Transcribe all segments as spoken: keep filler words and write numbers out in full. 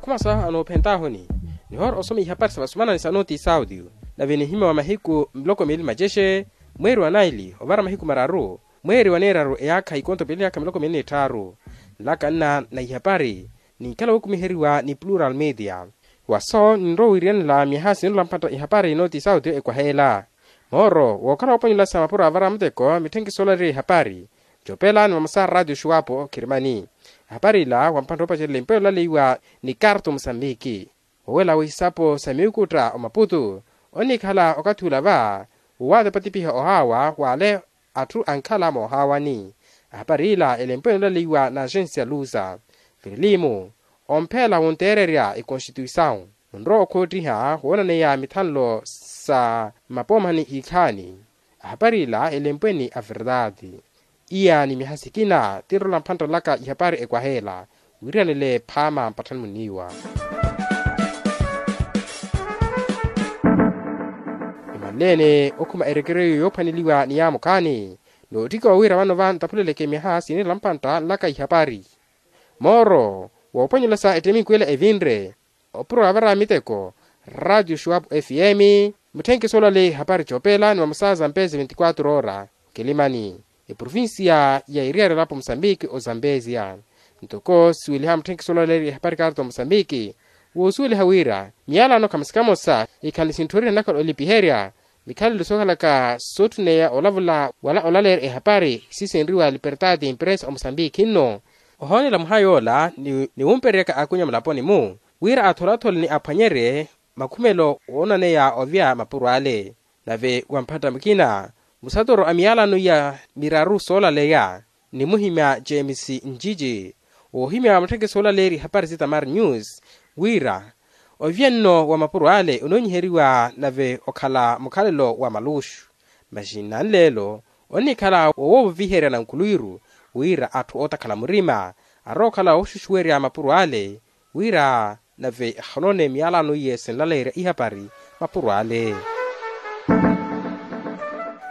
Masa anoophentahuni nihoora osoma ihapari sa vasumanani sa noti saudio. Nave nihima wa mahiku miloko miili macexe, mweeri wa naili ovara mahiku mararu, mweeri wa neeraru eyaakha ikonto piili yaakha miloko miili n'itthaaru. Nlaka nna na ihapari ninkhala wookumiheriwa ni plural media. Waso ninrowa wiiriyanela myaha sinula mpattta ihapari noti saudio ekwaheela. Mooro wookhala wooponyolasa mapuro avara muteko mitthenkiso olaleriwa ihapari. Copela ni mamosa a ratio xuwapo kirimani. Ehapari ila wa mphantta oopacerela empeyo olaleiwa ni karto musambiki. Wowela wisapo sa miwukutta omaputu onnikhala okathi ula va wowatepatipiha ohaawa wale atthu ankhala moohaawani. Ehapari ila elempwe enoolaleiwa na agensia lusa. Firilimu ompheela wonteererya ekonstituisawu. Munrowa okhoottiha woonaneya mithanlo sa mapoomani iikhaani. Ahapari ila elempweni a verdade. Iya ni myaha sikina tinrola mphantta nlaka ihapari ekwaheela. Wiiriyanele phaama mpatthani muniiwa. Imanleene okhuma erekereyo yoophwaneliwa ni yaamukhaani. Noottikiwa wira vano va ntaphuleleke myaha sinirela mphantta nlaka ihapari. Mooro wooponyolasa ettemiku ela evinre opuro avara miteko. Ratio xuwapu fm, mutthenkiso olaleya ehapari coopela ni vamosa zampezi veintiquatro ora. Kilimani eprovincia ya eriyari elapo musambiki ozambesia. Ntoko siweliha mutthenkiso olaleya ehapari karto musambiki, woosuweliha wira miyalano khamosa khamosa ikhale sintthoriha nakhala olipiherya. Mikhalelo sookhalaka soottuneya olavula wala olaleya ehapari sisenriwa libertade impresa omusambiki nno. Ohoonela mwaha yoola niwumpereryaka akunya mulaponi-mu wira atholathole ni aphwanyerye makhumelo woonaneya ovya mapuro ale. Nave wa mphatta mukina musatoro a miyalano iya miraru soolaleya ni muhimya james njiji woohimya wa mutthenkiso olaleerya ihapari si tamar news wira ovya nno wa mapuro ale onoonyiheriwa nave okhala mukhalelo wa maluxu. Maxinna nleelo onnikhala wowooviherya nankhuluwiru wira atthu ootakhala murima arowa okhala wooxuxuwerya mapuro ale wira nave ahonoone miyalano iye sinlaleerya ihapari mapuro ale.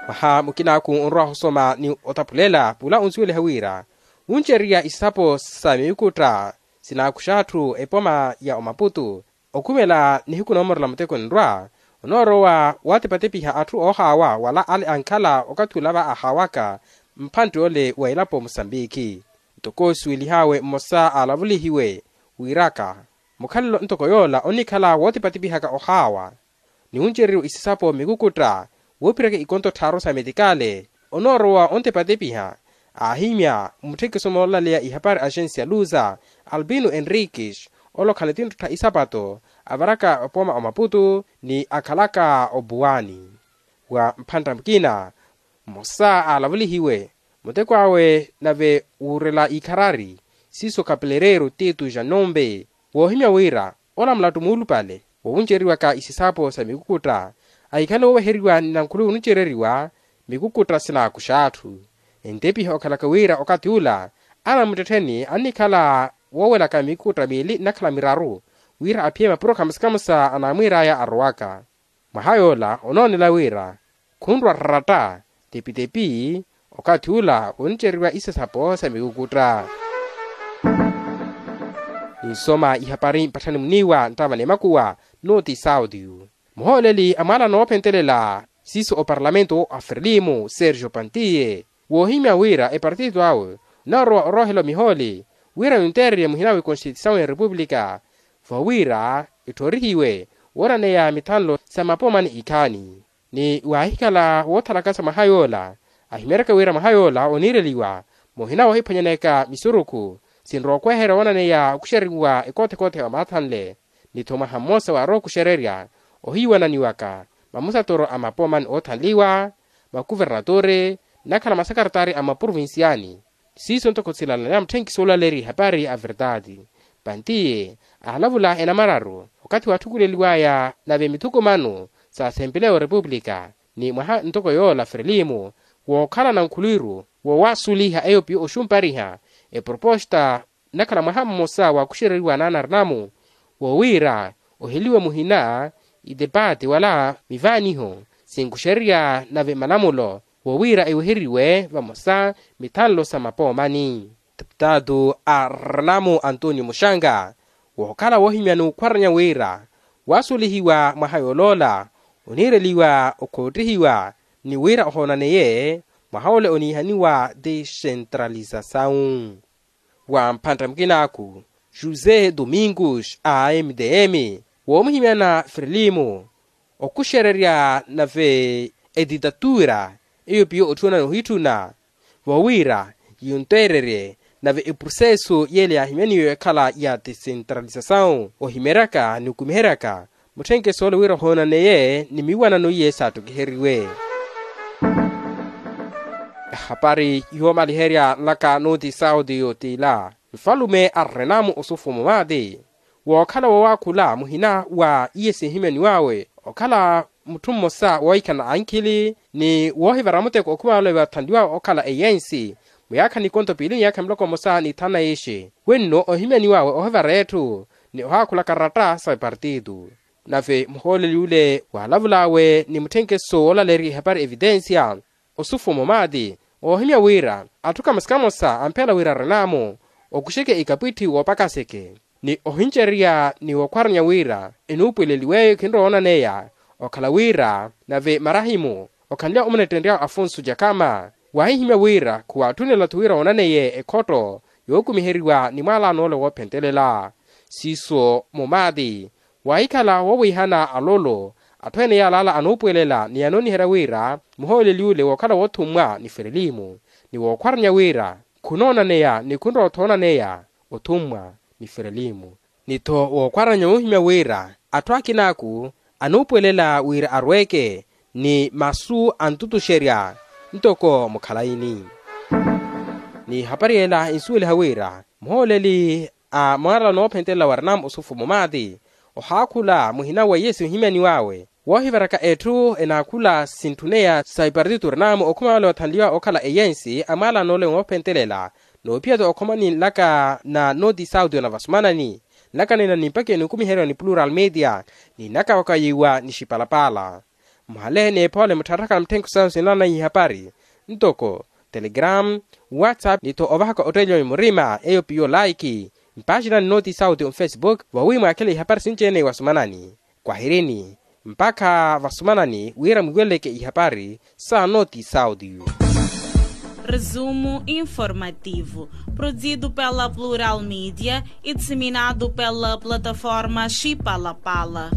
Mwaha mukinaaku onrwa ohusoma ni otaphulela pula onsuweliha wira wuncererya isapo sa miwukutta sinaakuxa atthu epoma ya omaputu. Okhumela nihiku noomorela muteko nrwa onoorowa watepatepiha atthu oohaawa wala ale ankhala okathi ula va ahaawaka mphantte ole wa elapo musambiki. Ntoko osuwelihaawe mmosa aalavulihiwe wiiraka mukhalelo ntoko yoola onnikhala wootipatipihaka ohaawa ni wuncereriwa isisapo mikukutta woophiraka ikonto tthaaru sa metikale. Onoorowa ontepatepiha aahimya mutthekiso moolaleya ihapari axensi ya luza albino enriquez olokhala tintthuttha isapato avaraka opooma omaputu ni akhalaka obuwani. Wa mphantta mukina mmosa aalavulihiwe muteko awe nave wuurela ikharari siiso kapelereiro tito janombe woohimya wira ola mulattu muulupale wowunceriwaka isisapo sa mikukutta ahikhale woovaheriwa ni nankhuluwi onuncereriwa mikukutta sinaakuxa atthu. Entepiha okhalaka wira okathi ula anamuttettheni annikhala woowelaka mikukutta miili nnakhala miraru wira aphiye mapuro khamosa khamosa anaamwiir'aya arowaka. Mwaha yoola onoonela wira khunrwa ratta tepitepi okathi ula woncereriwa isisapo sa mikukutta. Ninsoma ihapari mpatthani muniiwa nttava n'emakuwa noti saudio. Muhooleli a mwaala noophentelela siiso oparlamento a frelimo sergio pantiye woohimya wira epartito awe onarowa oroohela omihooli wira yunteererye muhina w'ekonstitisawu ya repupulika vowira etthorihiwe woonaneya mithanlo sa mapoomani ikhaani. Ni waahikhala woothalakasa mwaha yoola ahimyaryaka wira mwaha yoola oniireliwa muhina woohiphwanyaneyaka misurukhu sinrowa okweherya woonaneya okuxereriwa ekoothekoothe wa maathanle. Ni-tho mwaha mmosa waarowa okuxererya ohiiwananiwaka mamusatoro a mapoomani oothanliwa makuvernatore nnakhala masakartari a maprovinciani. Siiso ntoko silalaleya mutthenkiso olaleerya ihapari a verdade pantiye aalavula enamararu okathi waatthukuleliw'aya nave mithukumano sa asempeleya wa repupulika ni mwaha ntoko yoola frelimo wookhala nankhuluwiru woowasuliha eyo piyo oxumpariha eproposta nnakhala mwaha mmosa waakuxereriwa naanarinamu wowiira oheliwe muhina itepati wala mivaaniho sinkuxererya nave malamulo wowiira eweheriwe vamosa mithanlo sa mapoomani. Deputado a renamu antonio muxanga Wookhala woohimya n'ukhwaranya wira waasulihiwa mwaha yooloola oniireliwa okhoottihiwa ni wira ohoonaneye mwaha ole oniihaniwa decentralizasawu. Wa mphantta mukinaaku josé domingos a mdm woomuhimyana frelimo okhuxererya nave editatura eyo piyo otthuwana nohitthuna voowira yintteererye nave eproseso yeele yaahimyaniwe ekhala ya decentralizasawu ohimeryaka ni okumiheryaka mutthenkeso ole wira ohoonaneye ni miwanano iye saattokiheriwe. Ehapari yoomaliherya nlaka nooti saudi yootila nfalume arrenamu osufumu maati wookhala wowaakhula muhina wa iye sinhimyaniwawe okhala mutthu mmosa woohikhana ankhili ni woohivara muteko okhumala ole vathanliwawe okhala eyensi muyaakha nikonto piili miyaakha miloko mmosa ni thanu na ixe wenno ohimyaniwawe ohivara etthu ni ohaakhula karatta sa epartito. Nave muhooleli ole waalavul'awe ni mutthenkeso woolaleerya ihapari evitensia osufumo maati oohimya wira atthu kamosa kamosa ampheela wira arenaamo okuxeke ikapwitthi woopakaseke ni ohincererya ni wookhwaranya wira enuupweleliweyo khinrowa onaneya okhala wira nave marahimu okhanly'awe omunettenry'awe afonso jakama waahihimya wira khuwaatthunela-tho wira woonaneye ekhotto yookumiheriwa ni mwaalano ole woophentelela siiso mumaati waahikhala woowiihana alolo atthu ene yaalaala anuupwelela ni anooniherya wira muhooleli ole wookhala woothummwa ni ferelimu ni wookhwaranya wira khunoonaneya ni khunrowa-tho onaneya othummwa ni ferelimu ni-tho wookhwaranya woohimya wira atthu akinaaku anuupwelela wira arweeke ni masu antutuxerya ntoko mukhalayini. Ni hapari ela insuweliha wira muhooleli a mwaala noophentelela wa renamo osufumo maati ohaakhula muhina wa iye sinhimyaniwawe woohivaraka etthu enaakhula sintthuneya sa ipartito renamo okhumala ole wathanliwa okhala eyensi a mwaala n'ole moophentelela noophiya-tho okhomani nlaka na nooti sauti onavasumanani nlaka nina ni mpakha enikumiheryo ni plural media ni naka wakayiwa ni xipalapala. Muhale n'ephoole muttharakhala mutthenko sawe sinlalananyi ihapari ntoko telegram whatsapp ni-tho ovahaka otteeliwa mimurima eyo piyo like mpaaxinani nooti sauti onfacebook vawi mwaakhele ihapari sinci-ene wasumanani kwahirini mpakha vasumanani wira mwiweleleke ihapari sa nooti sauti. Resumo informativo produzido pela plural media e disseminado pela plataforma xipalapala.